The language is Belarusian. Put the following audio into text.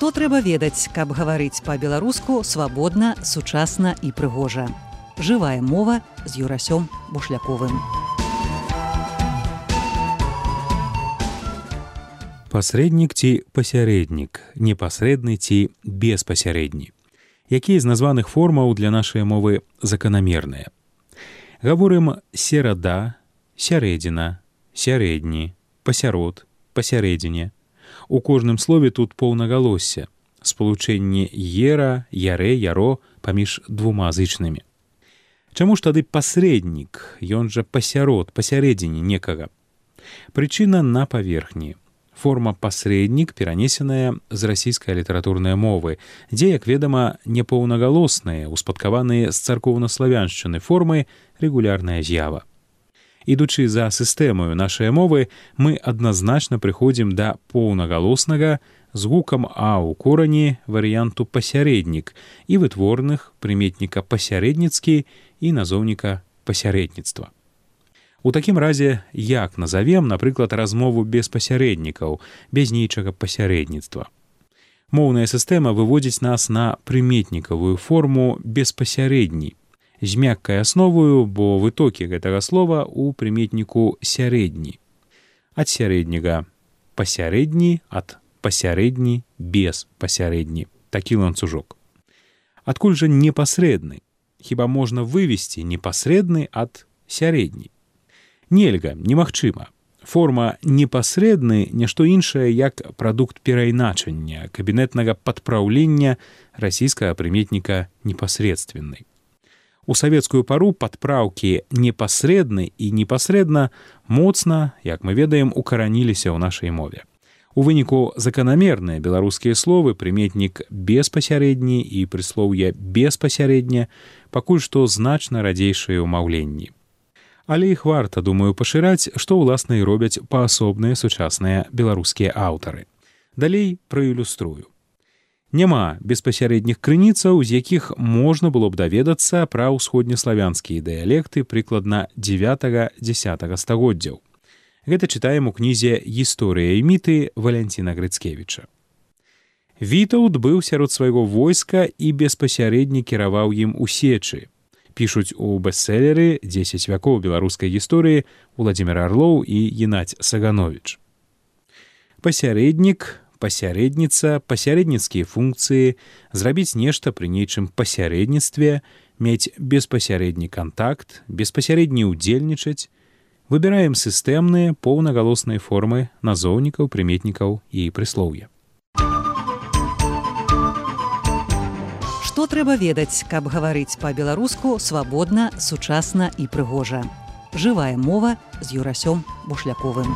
Што трэба ведаць, каб гаварыць па-беларуску свабодна, сучасна і прыгожа. Жывая мова з Юрасём Бушляковым. Пасрэднік ці пасярэднік, непасрэдны ці беспасярэдні. Якія з названых формаў для нашай мовы заканамерныя? Гаворым серада, сярэдзіна, сярэдні, пасярод, пасярэдзіне. У кожным слове тут паўнагалосся, спалучэнне ера, ярэ, яро паміж двума зычнымі. Чаму ж тады пасрэднік, ён жа пасярод, пасярэдзіне некага? Прычына на паверхні. Форма пасрэднік перанесеная з расійскай літаратурнай мовы, дзе, як ведама, непаўнагалосныя, успадкаваныя з царкоўнаславяншчыны формы рэгулярная з'ява. Ідучы за сістэмаю нашай мовы, мы адназначна прыходзім да поўнагалоснага з гукам «а» ў корані варыянту пасярэднік і вытворных прыметніка пасярэдніцкі і назоўніка пасярэдніцтва. У такім разе, як назавем, напрыклад, размову без пасярэднікаў, без нейчага пасярэдніцтва? Моўная сістэма выводзіць нас на прыметнікавую форму беспасярэдні, з мяккай асновою, бо вытокі гэтага слова ў прыметніку сярэдні. Ад сярэдняга пасярэдні, ад пасярэдні без пасярэдні. Такі ланцужок. Адкуль жа непасрэдны? Хіба можна вывесці непасрэдны ад сярэдні? Нельга, немагчыма. Форма непасрэдны – нешто іншае, як прадукт перайначання, кабінетнага падпраўлення расійскага прыметніка непасрэдственны. У савецкую пару падпраўкі непасрэдны і непасрэдна моцна, як мы ведаем, укараніліся ў нашай мове. У выніку заканамерныя беларускія словы, прыметнік беспасярэдні і прыслоўе беспасярэдне пакуль што значна радзейшыя ў маўленні. Але іх варта, думаю, пашыраць, што ўласна і робяць паасобныя сучасныя беларускія аўтары. Далей праілюструю. Няма беспасярэдніх крыніцаў, з якіх можна было б даведацца пра ўсходнеславянскія дыялекты прыкладна 9-10 стагоддзяў. Гэта чытаем у кнізе «Гісторыя і міты» Валянціна Грыцкевіча. Вітаўт быў сярод свайго войска і беспасярэдне кіраваў ім у сечы. Пішуць у бестселеры «10 вякоў беларускай гісторыі» Уладзімір Арлоў і Геннадзь Сагановіч. Пасярэднік, пасярэдніца, пасярэдніцкія функцыі, зрабіць нешта пры нейчым пасярэдніцтве, мець беспасярэдні кантакт, беспасярэдне ўдзельнічаць. Выбіраем сістэмныя поўнагалосныя формы назоўнікаў, прыметнікаў і прыслоўя. Што трэба ведаць, каб гаварыць па-беларуску свабодна, сучасна і прыгожа. Жывая мова з Юрасём Бушляковым.